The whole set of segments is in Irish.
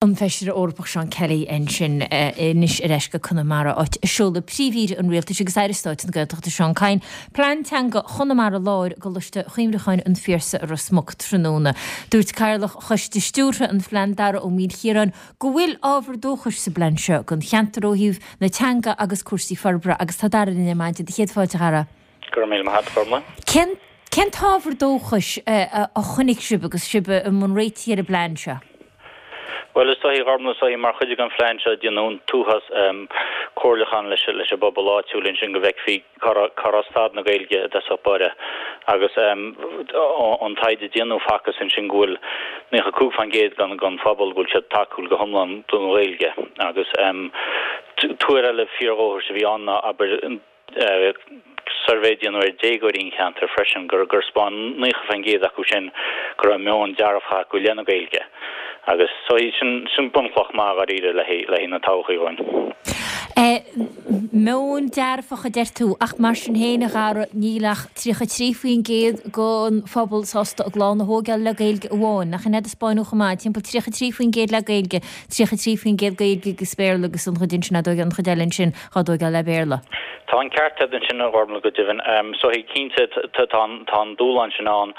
An Feisire Eorpach Seán Kelly ansin anois ar ais go Conamara, áit a seoladh Príomh-Aoire an Rialtais agus Aire Stáit na Gaeltachta Seán Kyne Plean Teanga Chonamara Láir i gColáiste Chuimhneacháin an Phiarsaigh i Ros Muc tráthnóna. Dúirt Cathaoirleach Choiste Stiúrtha an Phlean Dara Ó Maoilchiaráin go bhfuil ábhar dóchais sa bplean seo don cheantar ó thaobh na teanga agus cúrsaí forbartha agus tá Dara linn ar maidin. Céad fáilte a Dhara. Go raibh míle maith agat, a Ghormlaith. Cén cén t-ábhar dóchais a chonaic sibh agus sibh i mbun réitigh ar an bplean seo? Bhuel, is dóichí, a Ghormlaith, is dóichí mar chuid den phlean seo déanadh an t-uafás comhairliúchán leis leis an bpobal áitiúil ansin go bhfeicfí cá raibh cá raibh staid na Gaeilge i dtosach báire agus ón taighde a déanadh facthas ansin go bhfuil 95% den den phobal go bhfuil siad tacúil go hiomlán don Ghaeilge agus tuar eile fíordhóchais a bhí ann ná abair suirbhé a déanadh ar déagóirí an cheantair freisin gur 'spáin 90% acu sin go raibh meon dearfach acu i leith na Gaeilge agus so sin sin bunchloch maith dháiríre le haghaidh na todhchaí dhúinn. Meon dearfach a deir tú ach mar sin féin a Dhara níl ach 33% den phobal sásta a gclann a thóigeáil le Gaeilge amháin, nach in é a taispeáineadh chomh maith, timpeall 33% le Gaeilge, 33% Gaeilge agus Béarla agus an chuid ansin á dtóigeáil, an chuid eile ansin á dtóigeáil le Béarla. Tá an ceart agat ansin, a Ghormlaith, go deimhin. So cinnte, tá an dúshlán sin ann.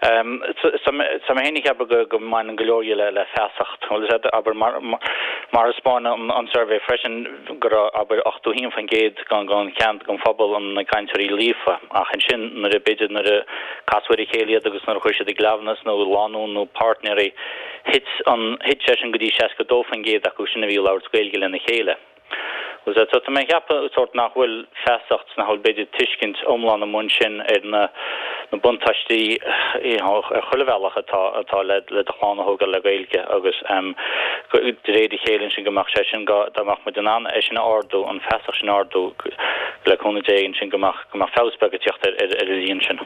Tá mé féin ag ceapadh go mbaineann go leor dhe le feasacht. Bhuel, is ea, abair, mar a 'spáin an suirbhé freisin, go raibh, abair, 81% den cheant, den phobal ina gcainteoirí líofa. Ach ansin, nuair a, b'fhéidir, nuair a casadh ar a chéile iad agus nuair a chuir siad i gcleamhnas nó lánúin nó páirtnéirí, thit an, thit sé sin go dtí 62% acu sin a bhí ag labhairt Gaeilge lena chéile. So tá mé ag ceapadh sórt nach bhfuil feasacht, nach bhfuil b'fhéidir tuiscint iomlán amuigh ansin ar na na buntáistí you know ar chuile bhealach atá atá le le do chlann a thógáil le Gaeilge agus de réir a chéile ansin go mbeadh sé sin go dá mbeadh muid in ann é sin a ardú, an feasacht sin a ardú le cúnamh Dé ansin go mbeadh go mbeadh feabhas beag ag teacht ar ar ar an líon sin.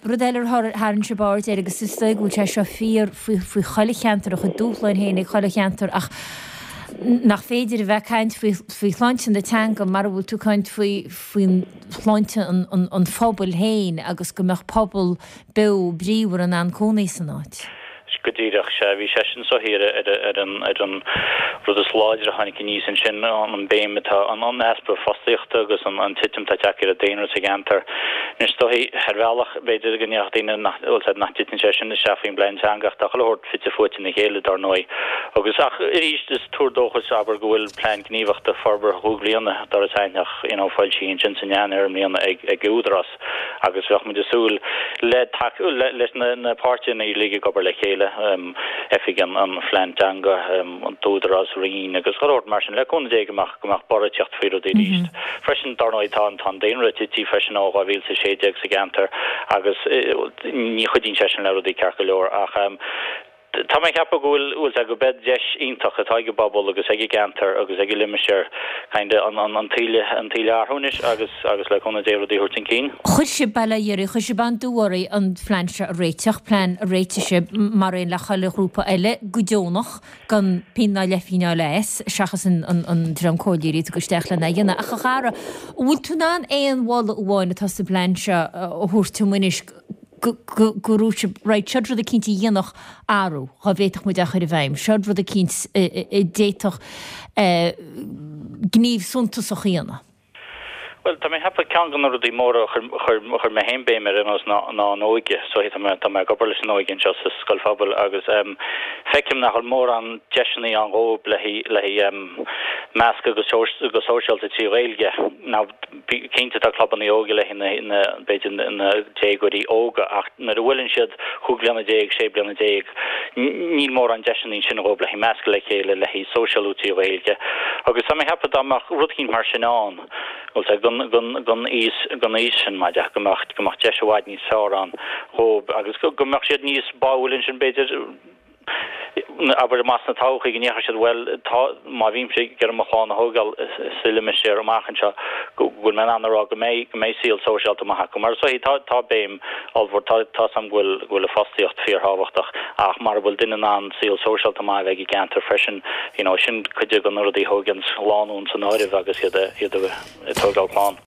Rud eile ar tharraing sibh aird air, agus is dóigh go bhfuil sé seo fíor faoi faoi chuile cheantar, a chuid dúshláin féin ag chuile cheantar, ach nach féidir a bheith ag caint faoi faoi shláinte na teanga mara bhfuil tú ag caint faoi faoin shláinte an an an phobail féin agus go mbeadh pobal beo bríomhar in ann cónaí san áit. Go díreach, sea. Bhí sé sin soiléir ar an ar an rud is láidre a tháinig aníos ansin, an béim atá, an easpa fostaíochta agus an titim atá tagtha ar an daonra sa gceantar. Anois, is dóichí, ar bhealach, b'fhéidir go ndéarfadh daoine nach, bhfuil 's a'd, nach dtiteann sé sin isteach faoin bplean teanga ach tá chuile shórt fite fuaite ina chéile, dar ndóigh. Agus, ach arís, is tuar dóchais, abair, go bhfuil plean gníomhachta forbartha chúig bliana, d'Iorras Aithneach, you know, foilsithe ansin san Eanáir i mbliana ag ag Údarás. agus bheadh muid ag súil le tacú leis na páirtithe uilig ag obair le chéile, Oifig an Phlean Teanga, an tÚdarás, Roinn agus chuile shórt mar sin, le cúnamh Dé go mbeadh go mbeadh borradh ag teacht faoi rudaí arís. Freisin, dar ndóigh, tá an daonra tite freisin ó 2016 sa gceantar agus ní chuidíonn sé sin le rudaí ceart go leor ach Tá mé ag ceapadh go bhfuil, bhfuil sé, go beidh deis iontach atá ag an bpobal agus ag an gceantar agus ag an limistéar kind of an, an tsaol, an tsaol a athrú anois agus, agus le cúnamh Dé rudaí a thabhairt chun cinn. Chuir sibh, bail ó Dhia oraibh, chuir sibh an-dua oraibh an phlean seo a réiteach, plean a réitigh sibh mar aon le chuile ghrúpa eile go deonach, gan pingin ná leathphingin a fháil as, seachas an, an, an dream comhairleoirí a tugadh isteach lena dhéanamh. Ach a Dhara, an bhfuil tú in ann aon mholadh amháin atá sa bplean seo a thabhairt dom anois, go raibh sibh, right, seod rud eicínt a dhéanfadh athrú, dhá bhféadfadh muid é a chur i bhfeidhm, seod rud eicínt a d'fhéadfadh gníomh suntasach a dhéanamh. Bhuel, tá mé ag ceapadh ceann de na rudaí móra a chuir, chuir mé féin béim air ar aon nós ná, ná an óige. So tá mé, tá mé ag obair leis an óige anseo sa scoil phobail agus feicim nach bhfuil mórán deiseanna ann dhóibh le haghaidh, le haghaidh meascadh go, go sóisialta trí Ghaeilge. Now, Cinnte tá clubanna óige le haghaidh na, b'fhéidir na déagóirí óga ach nuair a bhuaileann siad chúig bliana déag, sé bliana déag, níl mórán deiseanna ansin dhóibh le haghaidh meascadh le chéile, le haghaidh sóisialú trí Ghaeilge. Agus tá mé ag ceapadh dá mbeadh rud eicínt mar sin ann, bhfuil 's a'd, don, don, don aois, don aois sin, mar dhea, go mbeadh, go mbeadh deis i bhfad níos fearr ann dhóibh agus go, go mbeadh siad níos báúil ansin b'fhéidir, abair amach sna todhchaí go ndéarfadh siad bhuel tá, má bhímse ag iarraidh mo chlann a thógáil sa limistéar amach anseo go bhfuil mé in ann a rá go mbeidh, go mbeidh saol sóisialta maith acu. Mar is dóichí tá, tá béim ollmhór, tá, tá 's a'm go bhfuil, go bhfuil an fostaíocht fíorthábhachtach ach mara bhfuil duine in ann saol sóisialta maith a bheith ag an gceantar freisin, you know, sin cuid de na rudaí a thóganns lánúin san áireamh agus iad, iad ag tógáil clann.